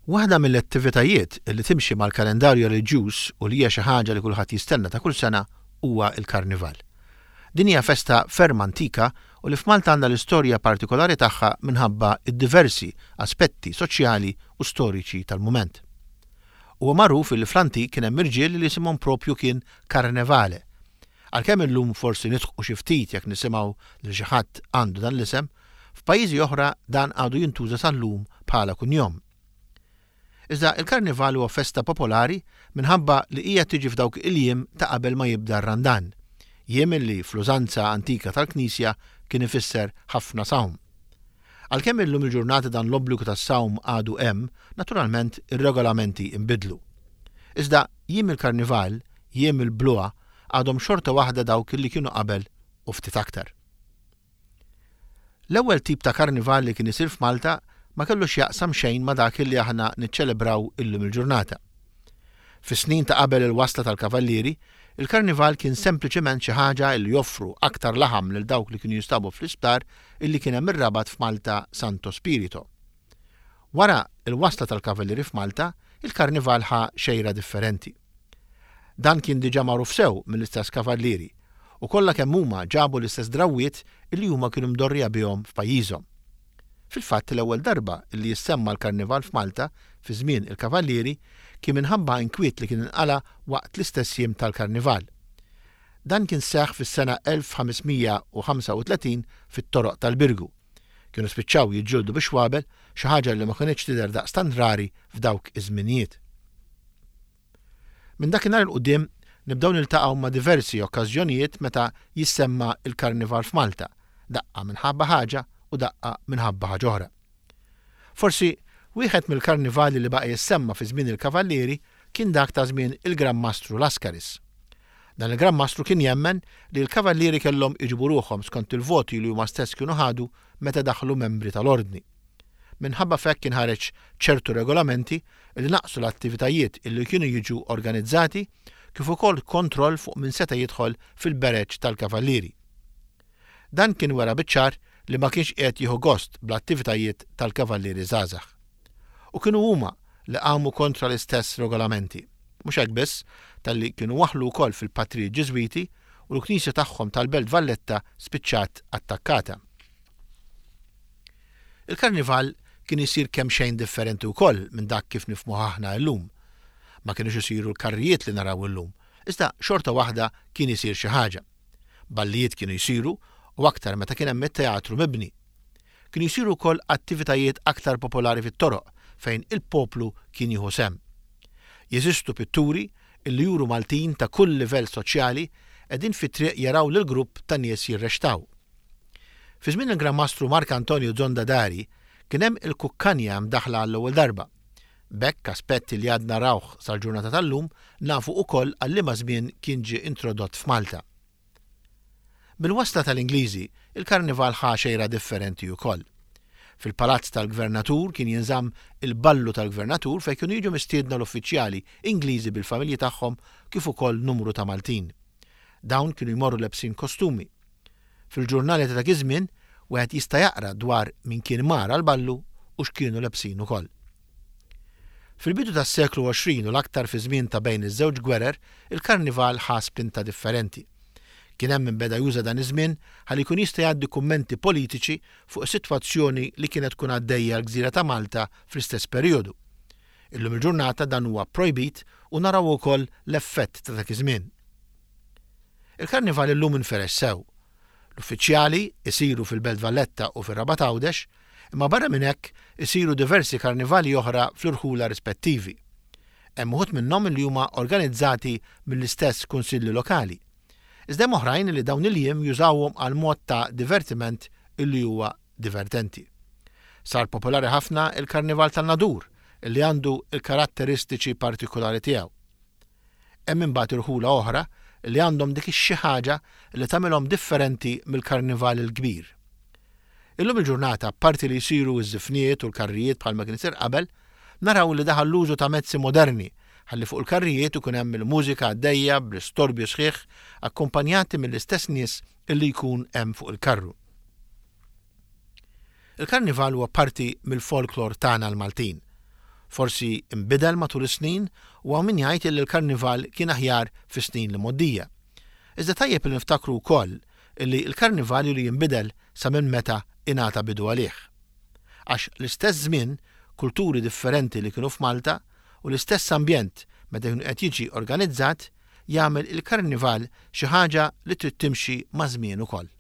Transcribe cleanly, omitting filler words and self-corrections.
Waħda mill-attivitajiet li timxi mal-kalendarju reliġjuż u li hija xi ħaġa li kulħadd jistenna ta' kull sena huwa l-Karnival. Din hija festa ferm antika u li f'Malta għandha l-istorja partikolari tagħha minħabba d-diversi aspetti soċjali u storiċi tal-mument. Huwa magħruf illi fl-antik kien hemm irġiel li isimhom propju kien Carnevale. Għalkemm illum forsi nidħqu xi ftit jekk nisimgħu lil xi ħadd għandu dan l-isem, F'pajjiżi oħra dan għadu jintuża sal-lum bħala kunjom. Iżda il-Karnival huwa festa popolari minħabba li hija tiġi f'dawk il-jiem ta' qabel ma jibda r-Randan, jiem li fl-użanza antika tal-Knisja kien ifisser ħafna sawm. Għalkemm illum il-ġurnata dan l-obbligu tas-sawm għadu hemm, naturalment ir-regolamenti nbidlu. Iżda jiem il-Karnival, jiem il-bluha, għadhom xorta waħda dawk li kienu qabel u ftit aktar. L-ewwel tip ta' karnival li kien isir f'Malta ma kellu x'jaqsam xejn ma' dak li aħna niċċelebraw illum il-ġurnata. Fis-snin ta' qabel il-wasla tal-Kavallieri, il-karnival kien sempliċement xi ħaġa li joffru aktar laħam lil dawk li kienu jinstabu fl-isptar illi kien hemm ir-Rabat f'Malta Santo Spirito. Wara l-wasla tal-Kavallieri f'Malta, il-karnival ħa xejra differenti. Dan kien diġà magħruf sew mill-istess kavallieri, u kollha kemm huma ġabu l-istess drawwiet illi huma kienu mdorrija bihom f'pajjiżhom. Fil-fatt l-ewwel darba illi jissemma l-karnival f'Malta fi żmien il-kavallieri kien minħabba inkwiet li kien inqala' waqt l-istess jiem tal-karnival. Dan kien seħħ fis-sena 1535 fit-toroq tal-Birgu. Kienu spiċċaw jiġġieldu bix-xwabel, xi ħaġa li ma kinitx tidher daqstant rari f'dawk iż-żminijiet. Minn dakinhar 'il quddiem nibdew niltaqgħu ma' diversi okkażjonijiet meta jissemma l-Karnival f'Malta, daqqa minħabba ħaġa u daqqa minħabba ħaġa oħra. Forsi wieħed mill-karnivali li baqa' jissemma fi żmien il-Kavallieri kien dak ta' żmien il-Gran Mastru Lascaris. Dan il-Gran Mastru kien jemmen li l-Kavallieri kellhom iġibu ruħhom skont il-voti li huma stess kienu ħadu meta daħlu membri tal-Ordni. Minħabba f'hekk kien ħareġ ċertu regolamenti li naqqsu l-attivitajiet illi kienu jiġu organizzati kif ukoll kontroll fuq min seta' jidħol fil-bereġ tal-Kavallieri. Dan kien wera biċ-ċar li ma kienx qiegħed jieħu gost bl-attivitajiet tal-Kavallieri żgħażagħ. U kienu huma li qamu kontra l-istess regolamenti. Mhux hekk biss, talli kienu waħħlu wkoll fil-patrijiet Ġiżwiti u l-knisja tagħhom tal-Belt Valletta spiċċat attakkata. Il-Karnival kien isir kemxejn differenti wkoll minn dak kif nifhmuh aħna illum. Ma kinux isiru l-karrijiet li naraw illum, iżda xorta waħda kien isir xi ħaġa. Ballijiet kienu jsiru u aktar meta kien hemm it-teatru mibni. Kienu jsiru wkoll attivitajiet aktar popolari fit-toroq fejn il-poplu kien jieħu sehem. Jeżistu pitturi illi juru Maltin ta' kull livell soċjali qegħdin fit-triq jaraw lil grupp ta' nies jirrextaw. Fi żmien il-Gran Mastru Mark Antonio Zonda Dari kien hemm il-kukkanja mdaħħla għall-ewwel darba. B'hekk aspett li għadna narawh sal-ġurnata tal-lum nafu ukoll għal liema żmien kien ġie introdott f'Malta. Bil-wasla tal-Ingliżi, il-Karnival ħa xejra differenti ukoll. Fil-Palazz tal-Gvernatur kien jinżamm il-Ballu tal-Gvernatur fejn kienu jiġu mistiedna l-uffiċjali Ingliżi bil-familji tagħhom kif ukoll numru ta' Maltin. Dawn kienu jmorru lebsin kostumi. Fil-ġurnali ta' dak iż-żmien wieħed jista' jaqra dwar min kien mar għall-ballu u x'kienu lebsin ukoll. Fil-bidu tas-seklu 20 u l-aktar fiż-żmien ta' bejn iż-żewġ gwerer, il-karnival ħa spinta differenti. Kien hemm min beda juża dan iż-żmien ħalli jkun jista' jgħaddi kummenti politiċi fuq is-sitwazzjoni li kienet tkun għaddejja l-gżira ta' Malta fl-istess perijodu. Illum il-ġurnata dan huwa pprojbit u naraw ukoll l-effett ta' dak iż-żmien. Il-Karnival illum inferex sew. L-uffiċjali isiru fil-Belt Valletta u fir-Rabat Għawdex, imma barra minn hekk isiru diversi karnivali oħra fl-irħula rispettivi. Hemm uħud minnhom li huma organizzati mill-istess kunsilli lokali. Iżda hemm oħrajn li dawn il-jiem jużawhom għal mod ta' divertiment illi huwa divertenti. Sar popolari ħafna il-Karnival tan-Nadur illi għandu l-karatteristiċi partikulari tiegħu. Hemm imbagħad irħula oħra li għandhom dik ix-xi ħaġa li tagħmilhom differenti mill-Karnival il-kbir. Illum il-ġurnata apparti li jsiru ż-żifniet u l-karrijiet bħalma kien isir qabel, naraw li daħal l-użu ta' mezzi moderni ħalli fuq il-karrijiet ikun hemm il-mużika għaddejja bl-istorbju sħiħ akkumpanjati mill-istess nies li jkun hemm fuq il-karru. Il-Karnival huwa parti mill-folklor tagħna l-Maltin. Forsi nbidel matul is-snin u hawn min jgħid illi l-Karnival kien aħjar fis-snin l-imgħoddija. Iżda tajjeb li niftakru wkoll illi l-Karnival ilu jinbidel sa minn meta ingħata bidu għalih. Għax l-istess żmien, kulturi differenti li kienu f'Malta u l-istess ambjent meta jkun qed jiġi organizzat jagħmel il-Karnival xi ħaġa li trid timxi maż-żmien ukoll.